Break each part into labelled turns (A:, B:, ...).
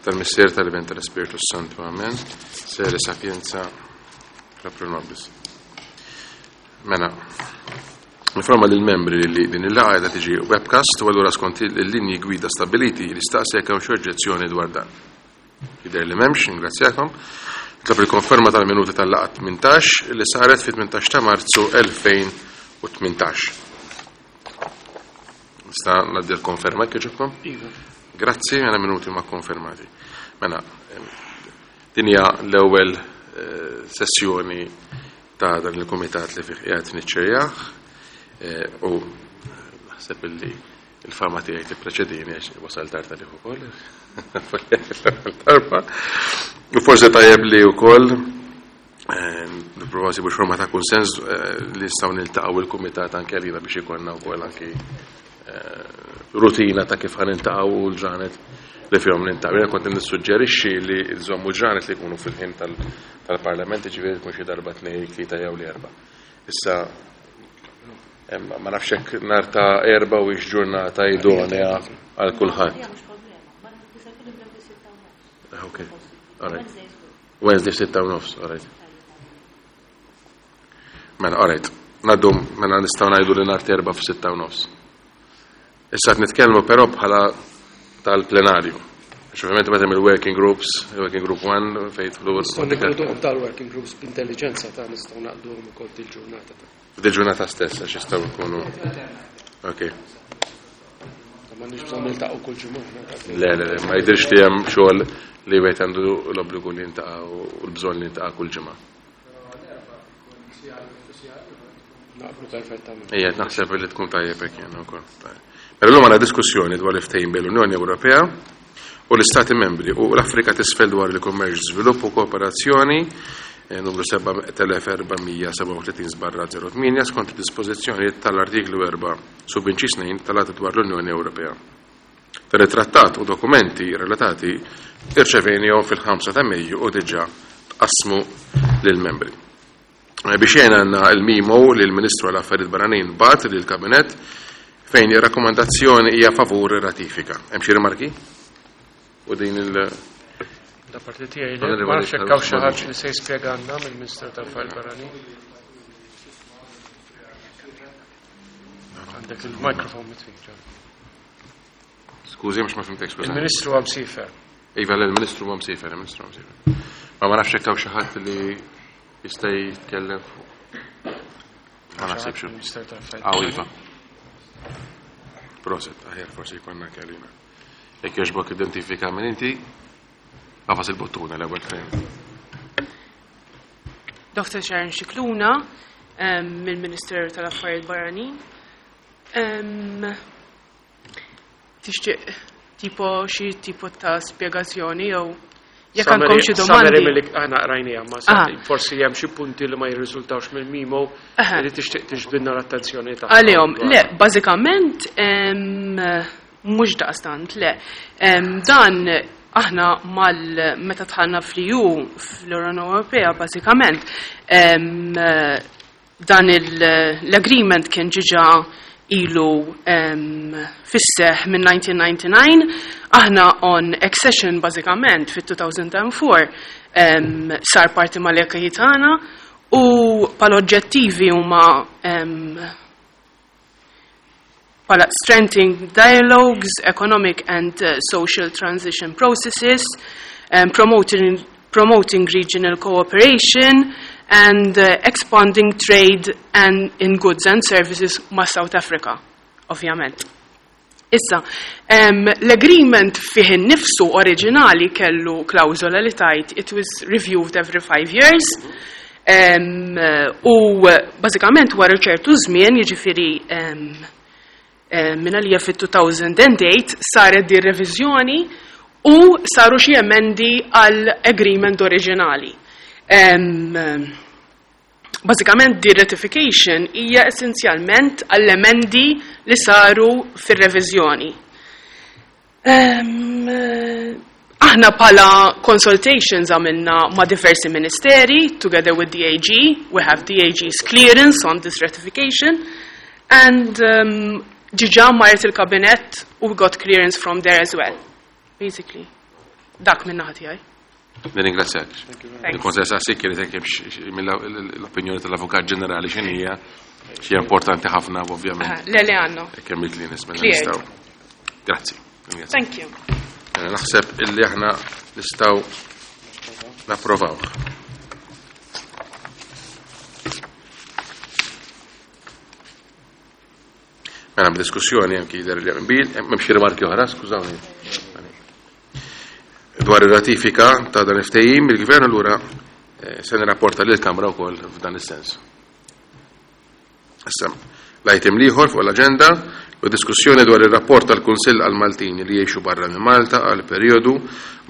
A: Tal-Missier tal-Iben tal-Ispirtu Santu. Amen. Sere sapienza proprio nobis. Mela, Informa lill-membri li din il-laqgħa qiegħda tiġi webcast u allura skont il-linji gwida stabbiliti nistaqsi jekk hawn xi oġġezzjoni dwar dan. Jidher li m'hemmx, ningrazzjakom. Nitlob il-konferma tal-minuti tal-laqgħa 18 li saret fit-18 ta' Marzu 2018. Nista' ngħaddi l-konferma jekk jogħġobkom?
B: Iva.
A: Grazzi, mela minuti ma konfermati. Mela, din hija l-ewwel eh, sessjoni ta' dan il-kumitat li fih qiegħed niċċerjah eh, u naħseb illi il-fama tiegħi tippreċedini għax wasal tard għalih ukoll. Darba. U forsi tajjeb li wkoll eh, nipprova nsibu forma ta' kunsens eh, li nistgħu niltaqgħu il-kumitat anke għalina biex ikollna wkoll anki rutina ta' kif ħa niltaqgħu u l-ġranet li fihom niltaqgħu. Jiena kont nissuġġerixxi li nżommu ġranet li jkunu fil-ħin tal-Parlament, ġifieri tkun xi darba tnejn, tlieta jew l-erba'. Issa ma nafx hekk nhar ta' erba' u ġurnata idonea għal kulħadd. Ah, ok, all right. Wednesday 6:30, all right. Mela, all right. Naddu, mela nistgħu ngħidu li nhar erba' f'6:30. Issa qed nitkellmu però bħala tal-plenarju. Għax ovvjament meta il-working groups, il-working group 1 fejn jidħlu
B: Nistgħu ninkluduhom tal-working groups b'intelligenza ta' nistgħu naqduhom ukoll dil-ġurnata ta'
A: Dil-ġurnata stess għax jistgħu jkunu. Ok.
B: Ma nix bżonn niltaqgħu kull ġimgħa.
A: Le, le, le, ma jidhirx li hemm xogħol li wieħed għandu l-obbligu li jintaqa' u l-bżonn li jintaqa' kull ġimgħa.
B: Naqblu perfettament.
A: Ejja, naħseb li tkun tajjeb hekk jien ukoll. Mela llum għandna diskussjoni dwar il-ftehim bejn l-Unjoni Ewropea u l-Istati Membri u l-Afrika t'Isfel dwar il-kummerċ, żvilupp u kooperazzjoni eh, numru 7437 barra 08 skont id-dispożizzjonijiet tal-artiklu 4 subinċis 2 tal-Att dwar l-Unjoni Ewropea. Dan it-trattat u dokumenti relatati irċevejnihom fil-5 ta' Mejju u diġà tqassmu lill-membri. Eh, biex jena għanna il-memo li l-Ministru għal Affarijiet Barranin bat li l-Kabinett fejn ir-rakkomandazzjoni hija favur ratifika. Hemm xi rimarki? U din il-
B: Da parti tiegħi li ma nafx hekk hawn xi ħadd li se jispjegalna mill-Ministru tal-Affarijiet Barranin. Għandek il-mikrofon mitfi.
A: Skużi, mhux ma fimtek, skużi.
B: Il-Ministru għam sifer.
A: Iva, l-Ministru għam sifer, il-Ministru għam sifer. Ma ma nafx hekk hawn xi ħadd li jista' jitkellem fuq. Ma naħsibx.
B: Il-Ministru tal-Affarijiet
A: Aw, iva. Proset, aħjar forsi jkollna kelima. Jekk jogħġbok identifika minn inti, għafas il-buttuna l-ewwel fejn.
C: Dr. Sharon Scicluna mill-Ministeru tal-Affarijiet Barranin. Tixtieq tipo xi tipo ta' spjegazzjoni jew jekk għandkom xi
B: Summary
C: domandi.
B: milli aħna qrajniha, ma forsi hemm xi punti li ma jirriżultawx mill-memo li tixtieq tiġbidna l-attenzjoni tagħha.
C: Għalihom, le, bażikament mhux daqstant, le. Dan aħna mal meta dħalna fl-EU, fl-Unjoni Ewropea, bażikament, dan l-agreement kien ġiġa ilu fis-seħ minn 1999, aħna on accession bażikament fit-2004 sar parti mal-acquis tagħna u pal oġġettivi huma pala strengthening dialogues, economic and social transition processes, promoting regional cooperation, and expanding trade and in goods and services ma' South Africa, ovvjament. Issa, l-agreement fih innifsu oriġinali kellu klawżola li tajt it was reviewed every 5 years, u bażikament wara ċertu żmien, jiġifieri minn għalija fit-2008 saret di reviżjoni u saru xi emendi għall agreement oriġinali. Bażikament di ratification hija essenzjalment għall-emendi li saru fir-reviżjoni. Aħna pala consultations għamilna ma' diversi ministeri, together with the AG, we have the AG's clearance on this ratification, and ġiġa marret il-kabinet u we got clearance from there as well, basically. Dak minn naħa tiegħi.
A: Nirringrazzjak. Il-Konsell Sassi kienet hekk mill-opinjoni tal-Avukat Ġenerali x'inhija xi importanti ħafna ovvjament.
C: Le le għandna.
A: Kemm il nisma' nistgħu. Grazzi.
C: Thank you.
A: Naħseb illi aħna nistgħu napprovaw. Mela diskussjoni anki jidher li qbil, hemm xi rimarki oħra, skużawni. Dwar ir-ratifika ta' dan il-ftehim, il-Gvern allura se nirrapporta lill-Kamra wkoll f'dan is-sens. Issa, l-item l-ieħor fuq l-aġenda u diskussjoni dwar ir-rapport tal-Kunsill għall-Maltin li jgħixu barra minn Malta għal perjodu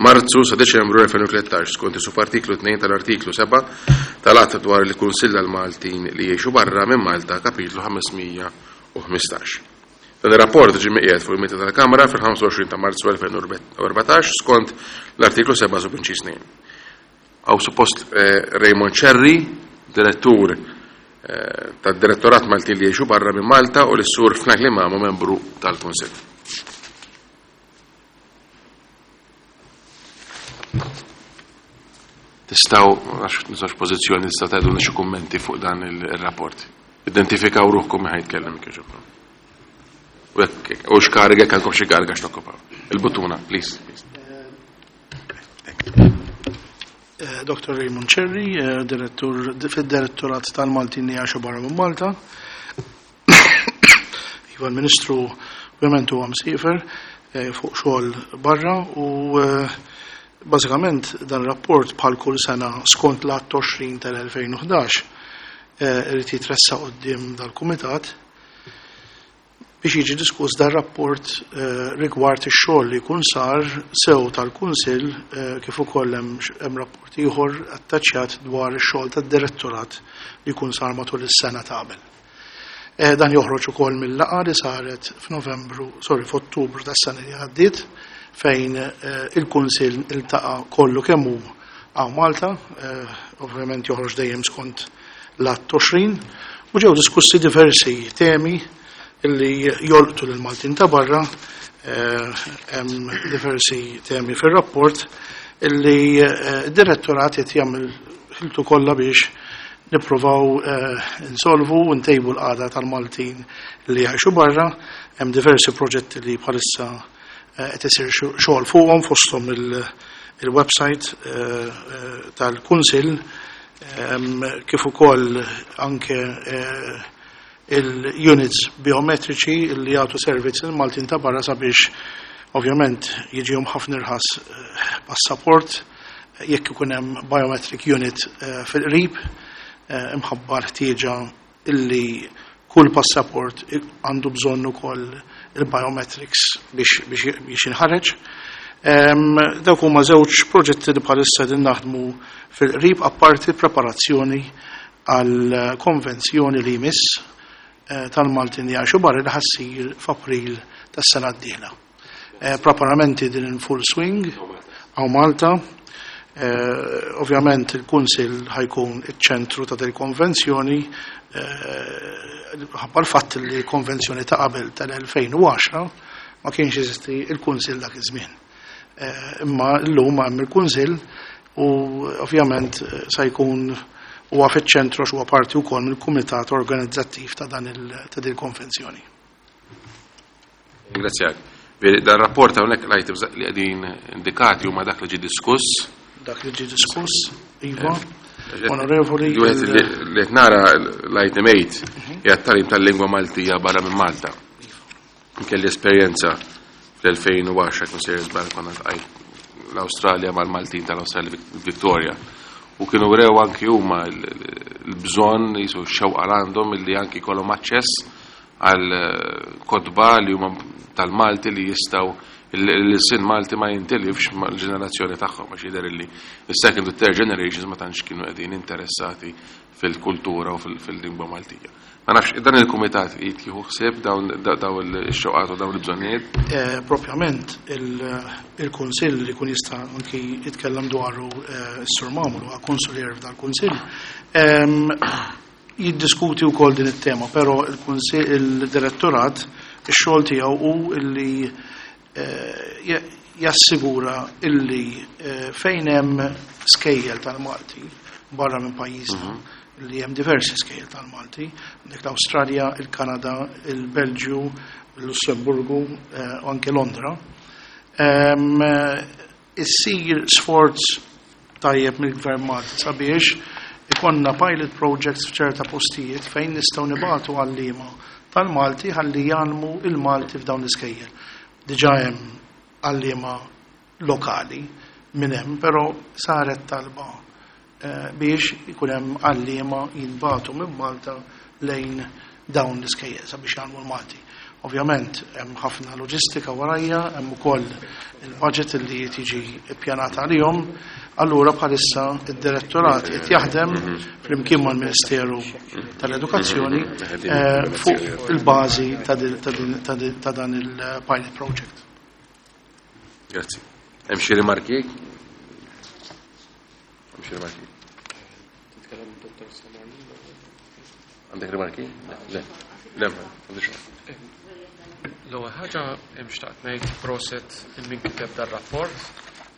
A: Marzu sa Deċembru 2013 skont is-subartiklu 2 tal-artiklu 7 tal-Att dwar il-Kunsill għall-Maltin li jgħixu barra minn Malta kapitlu 515. Dan ir-rapport ġie miqiegħed fuq il-mejda tal-Kamra fil-25 ta' Marzu 2014 skont l-artiklu 7 subinċis 2. Hawn suppost Raymond Cherry, direttur tad-Direttorat Maltin li jgħixu barra minn Malta u l-Sur Franklin Mamo, membru tal-Kunsill. Tistgħu, għax nistax pożizzjoni, tistgħu tgħidulna xi kummenti fuq dan ir-rapport. Identifikaw ruħkom min ħajtkellem kieġobkom. U jekk u x'kariga jekk għandkom xi kariga x'tokkupaw. Il-buttuna, please.
D: Dr. Raymond Cherry, direttur fid-Direttorat tal-Maltin li jgħixu barra minn Malta. Iva l-Ministru ovvjament huwa msiefer fuq xogħol barra u bażikament dan rapport bħal kull sena skont l-Att 20 tal-2011 irid jitressaq quddiem dal-Kumitat biex jiġi diskuss dan rapport rigward ix-xogħol li jkun sar sew tal-Kunsill kif ukoll hemm rapport ieħor attaċċjat dwar ix-xogħol tad-direttorat li jkun sar matul is-sena ta' qabel. Dan joħroġ ukoll mill-laqgħa li saret f'Novembru, sorry, f'Ottubru tas-sena li għaddiet fejn il-Kunsill iltaqa' kollu kemm hu hawn Malta, ovvjament joħroġ dejjem skont l-Att 20, u ġew diskussi diversi temi li jolqtu lil Maltin ta' barra, hemm diversi temi fir-rapport illi d-direttorat qed jagħmel ħiltu kollha biex nippruvaw insolvu u ntejbu l-qagħda tal-Maltin li jgħixu barra. Hemm diversi proġetti li bħalissa qed isir xogħol fuqhom fosthom il-website tal-Kunsill kif ukoll anke il-units biometriċi li jagħtu servizz lill-Maltin ta' barra sabiex ovvjament jiġihom ħafna irħas passaport jekk ikun hemm biometric unit fil-qrib imħabba l-ħtieġa illi kull passaport għandu bżonn ukoll il-biometrics biex jinħareġ. Dawk huma żewġ proġetti li bħalissa qegħdin naħdmu fil-qrib apparti preparazzjoni għal konvenzjoni li jmiss tal-Maltin li jgħixu barra li ħassir f'April tas-sena d-dieħla. Preparamenti din in full swing għaw Malta. Ovvjament il-Kunsill ħajkun iċ-ċentru ta' dil-konvenzjoni ħabba l-fatt li l-konvenzjoni ta' qabel tal-2010 ma kienx jeżisti il-Kunsill dak iż-żmien. Imma llum hemm il-Kunsill u ovvjament sa jkun huwa fiċ-ċentru għax huwa parti wkoll mill-kumitat organizzattiv ta' dan ta' din il-konvenzjoni.
A: Ringrazzjak. Dan rapport hawnhekk l-items li qegħdin indikati huma dak li ġie diskuss.
D: Dak li ġie diskuss, iva. Onorevoli.
A: Li qed nara l-item 8 hija t-tagħlim tal-lingwa Maltija barra minn Malta. Kelli esperjenza fl-2010 kien sejjer żball konna ltqajt l-Awstralja mal-Maltin tal-Awstralja Victoria. U kienu wrew anki huma l-bżonn jisu x-xewqa għandhom illi anki jkollhom aċċess għal kotba li huma tal-Malti li jistgħu l-sin Malti ma jintilifx mal-ġenerazzjoni tagħhom għax jidher illi s-second u third generations ma tantx kienu qegħdin interessati fil-kultura u fil-lingwa Maltija. Ma nafx, dan il-kumitat jieħu ħsieb dawn ix-xewqat u dawn il-bżonnijiet?
D: Propjament il-Kunsill li jkun jista' anki jitkellem dwaru s-Sur Mamul huwa konsulier f'dal-Kunsill. Jiddiskuti wkoll din it-tema, però il-Kunsill il-Direttorat ix-xogħol tiegħu hu li Jassigura illi fejn hemm skejjel tal-Malti barra minn pajjiżna, li hemm diversi skejjel tal-Malti, għandek l-Awstralja, il-Kanada, il-Belġju, il-Lussemburgu u anke Londra, issir sforz tajjeb mill-Gvern Malti sabiex ikonna pilot projects f'ċerta postijiet fejn nistgħu nibagħtu għalliema tal-Malti ħalli jgħallmu il-Malti f'dawn l-iskejjel. Diġà hemm għalliema lokali minn hemm, però saret talba biex ikun hemm għalliema jintbagħtu minn Malta lejn dawn l-iskejjel sabiex jgħallmu l-Malti. Ovvjament hemm ħafna loġistika warajja, hemm ukoll il-budget li tiġi ppjanat għalihom. Allura bħalissa id-direttorat qed jaħdem flimkien mal-Ministeru tal-Edukazzjoni fuq il-bażi ta' dan il-pilot project.
A: Grazzi. Hemm xi rimarki? Hemm xi rimarki?
B: Titkellem Dottor Samarni.
A: Għandek rimarki? Le. Le, m'għandix.
B: L-ewwel ħaġa hemm xtaqt ngħid proset il min kiteb dar-rapport,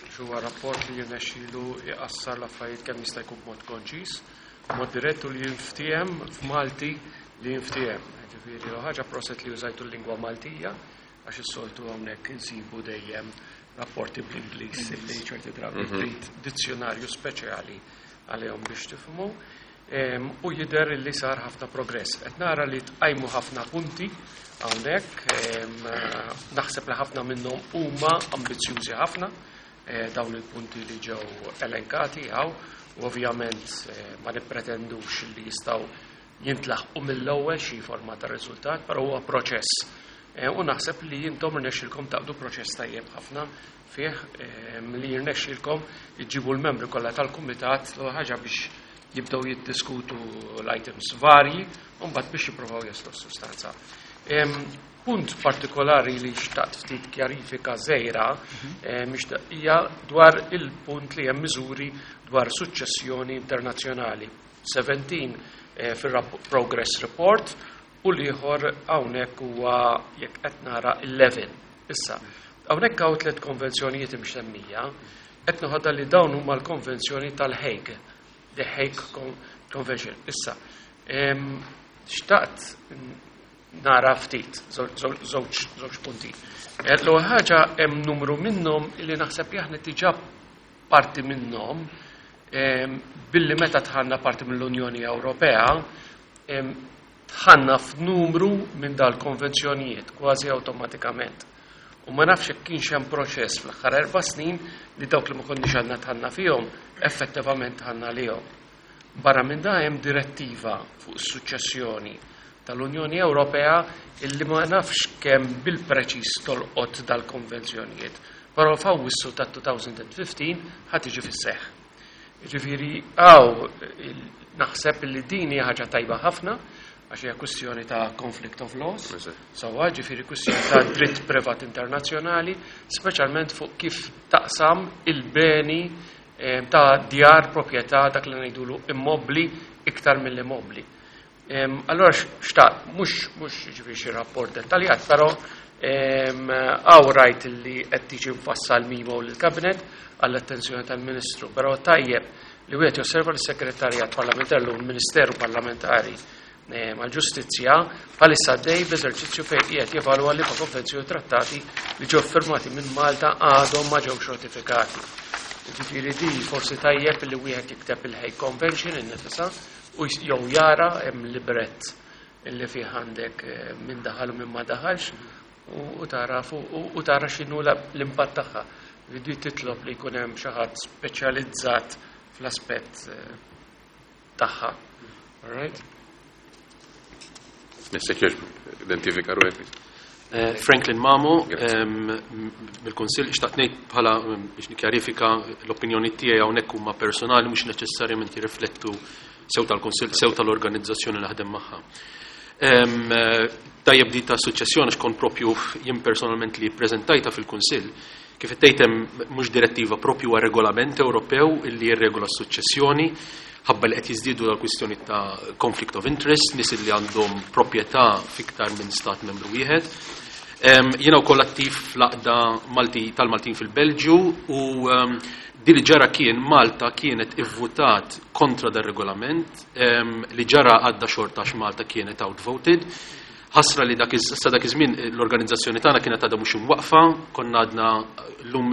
B: għax huwa rapport li jirnexxielu jqassar l-affarijiet kemm jista' jkun b'mod konċis, b'mod dirett u li jinftiehem f'Malti li jinftiehem. Ġifieri l-ewwel ħaġa proset li użajtu l-lingwa Maltija, għax is-soltu hawnhekk insibu dejjem rapporti bl-Ingliż li ċerti drabi trid dizzjonarju speċjali għalihom biex tifhmu. U jidher li sar ħafna progress. Qed nara li tqajmu ħafna punti hawnhekk, naħseb li ħafna minnhom huma ambizzjużi ħafna, dawn il-punti li ġew elenkati hawn, u ovvjament ma nippretendux li jistgħu jintlaħqu mill-ewwel xi forma ta' riżultat, però huwa proċess. U naħseb li intom irnexxilkom taqdu proċess tajjeb ħafna fih, li jirnexxilkom iġibu l-membri kollha tal-kumitat l ħaġa biex jibdew jiddiskutu l-items varji u mbagħad biex jippruvaw jaslu s-sustanza. Punt partikolari li xtaqt ftit kjarifika żgħira hija dwar il-punt li hemm miżuri dwar suċċessjoni internazzjonali. 17 fir-progress report u l-ieħor hawnhekk huwa jekk qed nara 11. Issa, hawnhekk hawn tliet konvenzjonijiet imsemmija, qed noħodha li dawn huma l-konvenzjoni tal-Hague, the Hague Convention. Issa, xtaqt nara ftit, żewġ punti. L-ewwel ħaġa hemm numru minnhom li naħseb li aħna diġà parti minnhom billi meta dħalna parti mill-Unjoni Ewropea, dħalna f'numru minn dal-konvenzjonijiet kważi awtomatikament. U ma nafx jekk kienx hemm proċess fl-aħħar 4 snin li dawk li ma konniex għandna dħalna fihom effettivament dħalna lihom. Barra minn da hemm direttiva fuq is-suċċessjoni tal-Unjoni Ewropea illi ma nafx kemm bil-preċiż tolqot dal-konvenzjonijiet, però f'Awwissu ta' 2015 ħa tiġi fis-seħħ. Ġifieri hawn naħseb li din hija ħaġa tajba ħafna għax hija kwistjoni ta' conflict of laws, sewwa ġifieri kwistjoni ta' dritt privat internazzjonali, speċjalment fuq kif taqsam il-beni ta' djar proprjetà dak li ngħidulu immobli iktar mill-immobli. Allora xtaqt, mhux ġifieri xi rapport dettaljat, però hawn rajt li qed tiġi mfassal memo lill-Kabinet għall-attenzjoni tal-Ministru, però tajjeb li wieħed josserva l-Segretarjat Parlamentari u l-Ministeru Parlamentari mal-Ġustizzja bħalissa għaddej b'eżerċizzju fejn qiegħed jevalwa li ma' konvenzjoni trattati li ġew firmati minn Malta għadhom ma ġewx ratifikati. Ġifieri di forsi tajjeb li wieħed jikteb il-Hague Convention innifisha u jew jara hemm librett illi fih għandek min daħal u min ma daħalx u tara u tara x'inhu l-impatt tagħha. Di titlob li jkun hemm xi ħadd speċjalizzat fl-aspett tagħha. All right?
A: Mr. Kirchberg, identifika ruħek.
E: Franklin Mamo, mill-Kunsill, xtaqt ngħid bħala biex nikkjarifika l-opinjoni tiegħi hawnhekk huma personali mhux neċessarjament jirriflettu sew tal-Kunsill, sew tal-organizzazzjoni li naħdem magħha. Tajjeb di ta' suċċessjoni xkont propju jien personalment li ppreżentajta fil-Kunsill, kif tgħid hemm mhux direttiva propju huwa regolament Ewropew illi jirregola s-suċċessjoni, ħabba li qed jiżdiedu dal-kwistjoni ta' conflict of interest, nies li għandhom proprjetà fiktar minn stat membru wieħed. Jiena wkoll attiv fl-Għaqda Malti tal-Maltin fil-Belġju u din li ġara kien Malta kienet ivvutat kontra dar-regolament li ġara għadda xorta għax Malta kienet outvoted. Ħasra li dak sa dak iż-żmien l-organizzazzjoni tagħna kienet għadha mhux imwaqqfa, konna għadna llum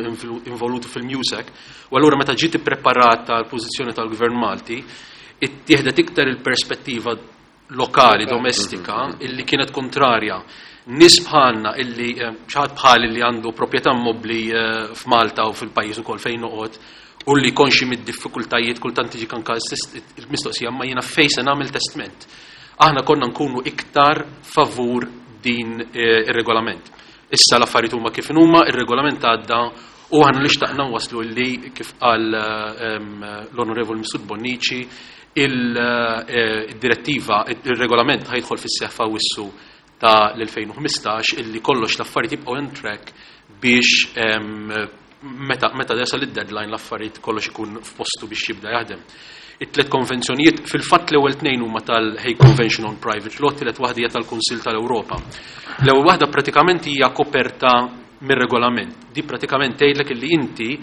E: involuti fil-MUSEC, u allura meta ġiet ippreparata l-pożizzjoni tal-Gvern Malti, ittieħdet iktar il-perspettiva lokali, domestika, illi kienet kontrarja. Nies bħalna illi xi ħadd bħali li għandu proprjetà immobbli f'Malta u fil-pajjiż ukoll fejn noqgħod u li konxi mid-diffikultajiet kultant tiġi anke il-mistoqsija ma jiena fejn se nagħmel testment. Aħna konna nkunu iktar favur din ir-regolament. Issa l-affarijiet huma kif huma, ir-regolament għadda u aħna li xtaqna waslu li kif qal l-Onorevoli Mifsud Bonnici il-direttiva, il-regolament ħa jidħol fis-seħħ f'Awwissu ta' l-2015 illi kollox l-affarijiet jibqgħu on track biex meta jasal id-deadline l-affarijiet kollox ikun f'postu biex jibda jaħdem. It-tliet konvenzjonijiet, fil-fatt l-ewwel tnejn huma tal-Hague Convention on Private Law, tielet waħda hija tal-Kunsill tal-Ewropa. L-ewwel waħda pratikament hija koperta mir-regolament. Di pratikament tgħidlek illi inti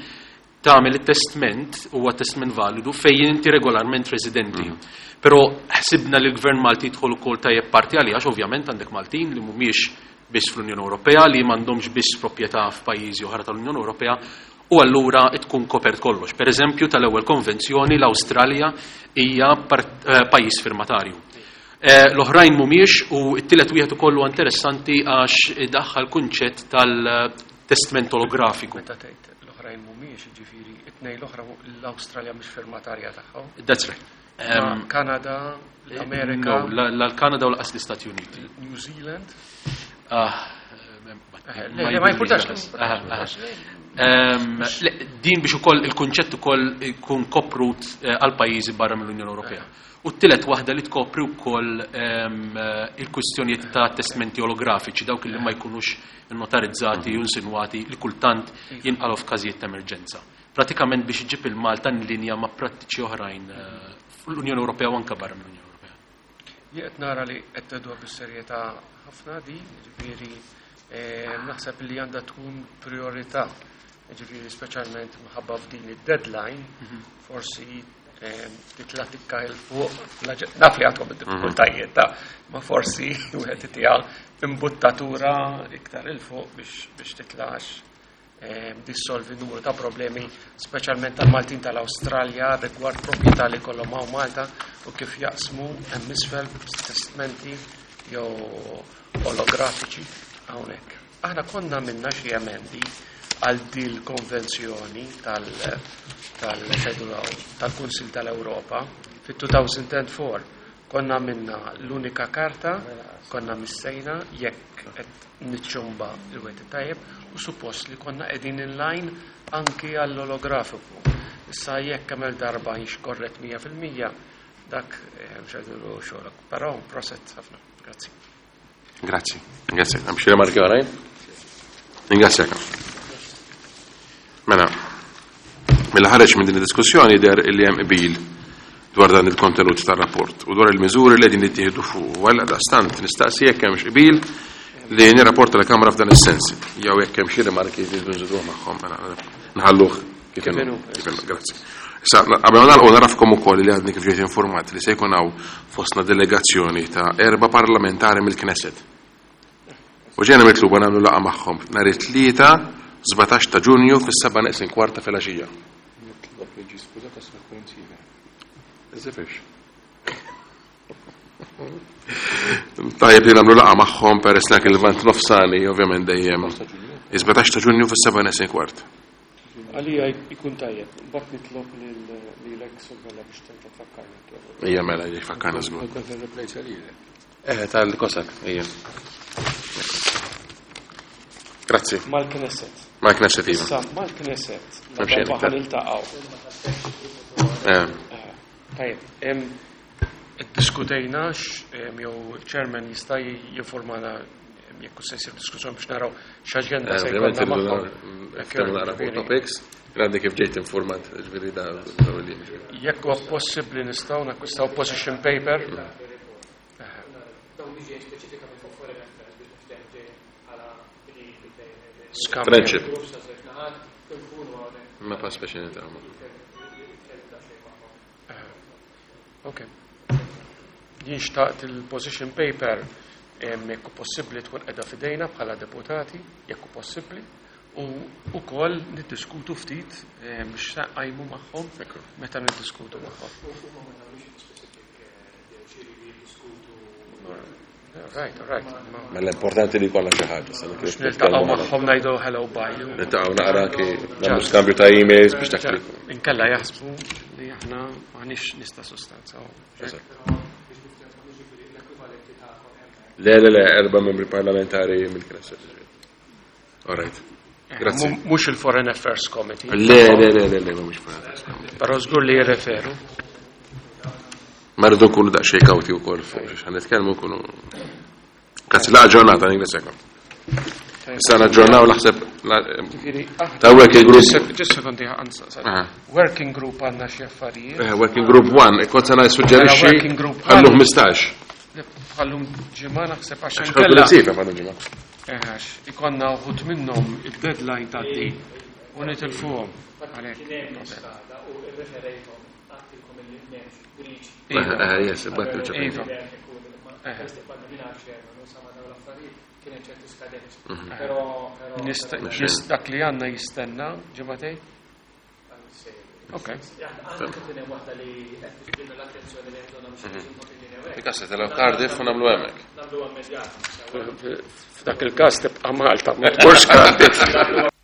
E: tagħmel it-testment huwa testment validu fejn inti regolarment residenti. Però ħsibna li l-Gvern Malti jidħol ukoll tajjeb parti għalih għax ovvjament għandek Maltin li mhumiex biss fl-Unjoni Ewropea, li m'għandhomx biss proprjetà f'pajjiżi oħra tal-Unjoni Ewropea, u allura tkun kopert kollox. Per eżempju, tal-ewwel konvenzjoni l-Awstralja hija pajjiż firmatarju. L-oħrajn mhumiex u t-tielet wieħed ukoll huwa interessanti għax idaħħal kunċett tal-testment olografiku.
B: Meta tgħid l-oħrajn mhumiex, jiġifieri it-tnejn l-oħra l-Awstralja mhix firmatarja tagħhom.
E: That's right.
B: Kanada, l-Amerika.
E: No, l-Kanada u l-qas l-Istati Uniti.
B: New Zealand.
E: Le,
B: ma jimpurtax.
E: Din biex ukoll il-kunċett ukoll ikun koprut għal pajjiżi barra mill-Unjoni Ewropea. U t-tielet waħda li tkopri wkoll il-kwistjonijiet ta' testmenti olografiċi, dawk li ma jkunux notarizzati u insinwati li kultant jinqalgħu f'każijiet ta' emerġenza. Pratikament biex iġib il-Malta in linja ma' prattiċi oħrajn fl-Unjoni Ewropea u anke barra mill-Unjoni Ewropea.
B: Jien qed nara li qed tgħiduha bis-serjetà ħafna di, jiġifieri naħseb li għandha tkun priorità, jiġifieri speċjalment minħabba f'din id-deadline, forsi titla' tikka 'l fuq, naf li għandkom id-diffikultajiet ta' ma forsi wieħed itiha imbuttatura iktar 'il fuq biex titlax dissolvi numru ta' problemi, speċjalment tal-Maltin tal-Awstralja rigward proprjetà li kollhom hawn Malta u kif jaqsmu hemm isfel testmenti jew olografiċi hawnhekk. Aħna konna minna xi emendi għal dil konvenzjoni tal-Kunsill tal-Ewropa fit-2004. Konna minna l-unika karta, konna missejna jekk qed niċċumba il-wet tajjeb u suppost li konna qegħdin in line anki għall-olografiku. Issa jekk kemm darba jix korret 100% dak mhux xogħolok. Però proset ħafna. Grazzi.
A: Grazzi. Grazzi. Hemm xi rimarki oħrajn? Ringrazzjak. Mela, mela ħareġ minn din id-diskussjoni der li hemm qbil dwar dan il-kontenut tar-rapport u dwar il-miżuri li qegħdin jittieħdu fuq. U għal dastant nistaqsi jekk hemmx qbil li nirrapporta l-Kamra f'dan is-sens. Jew jekk hemm xi rimarki li jridu nżiduhom magħhom, mela nħalluh kif inhu. Kif inhu, grazzi. Issa, qabel ma nagħlqu narafkom ukoll li għadni kif ġejt informat li se jkun hawn fostna delegazzjoni ta' 4 parlamentari mill-Knesset. U ġejna mitluba nagħmlu laqgħa magħhom nhar it-Tlieta 17 ta' Ġunju fis-seba' neqsin kwarta filgħaxija.
F: Nitlob li ġi skużata sa koinċida.
A: Iżifix. Tajjeb li nagħmlu laqgħa magħhom peress li anke l-Lvant Nofsani ovvjament dejjem. 17 ta' Ġunju fis-seba' neqsin kwart.
B: Għalija jkun tajjeb, mbagħad nitlob lilek Sorvella biex terġa' tfakkarna.
A: Ija mela, jfakkarna żgur.
F: Kont nirreplejsa lilek.
A: Tal-Kosak, ija. Grazzi.
B: Mal-Knesset.
A: Mal-Knesset, iva.
B: Issa, mal-Knesset,
A: M'hemm xejn
B: la darba
A: iktar.
B: ħaniltaqgħu. Tajjeb, iddiskutejna jew il-chairman jista' jinformana jekk se jsir diskussjoni biex naraw x'aġenda se
A: Ovvjament
B: jkollna
A: irridu
B: magħhom.
A: niftehmu naqra fuq topics. Għandi kif ġejt informat, ġifieri da li ġifieri.
B: Jekk huwa possibbli nistgħu nakkwistaw position paper.
G: Dawn li ġejjin speċifikament fuq foreign affairs biex niftehmu ġejjin bħala
B: Skambju.
A: Friendship.
G: Grupp ta' żewġ naħat, nkunu hawnhekk.
A: Ma pa speċi niltaqgħu magħhom.
B: Ok. Jien xtaqt il-position paper jekk hu possibbli tkun qiegħda f'idejna bħala deputati, jekk hu possibbli, u wkoll niddiskutu ftit biex nqajmu magħhom meta niddiskutu magħhom. Right, right.
A: Mela importanti li jkollna xi ħaġa. sa
B: Biex niltaqgħu magħhom ngħidu hello bye.
A: Niltaqgħu naqra anki nagħmlu skambju ta' emails biex dak li.
B: Inkella jaħsbu li aħna m'aħniex nista' sustanza.
A: Le, le, le, erba' membri parlamentari mill-Knesset. All right. Grazzi.
B: Mhux il-Foreign Affairs Committee.
A: Le, le, le, le, le, mhux Foreign Affairs Committee.
B: Però żgur li jirreferu.
A: Ma rridu nkunu daqsxejn kawti wkoll fuq xiex ħan nitkellmu nkunu. Grazzi, laqa ġurnata, ningrazzjakom. Issa naġġornaw naħseb ta' working group.
B: Ġis sekondi Working group għandna xi affarijiet.
A: Working group 1, kont se nissuġġerixxi
B: Mela, working group
A: ħallu 15.
B: Ħallum ġimgħa naħseb għax
A: Għax
B: inkella.
A: ħallu ħallu ġimgħa.
B: Għax ikonna uħud minnhom id-deadline tgħaddi u nitilfuhom. Għalhekk.
G: Kien hemm skada u rreferejthom għattilkom illi m'hemmx breach.
B: Iva.
A: Yes, bat
B: Iva. Dak li għandna jistenna ġimgħatej? Ok.
A: Ikassa telaw Cardiff u nagħmlu hemmhekk.
B: F'dak il-każ tibqa' Malta, ma tmurx Cardiff.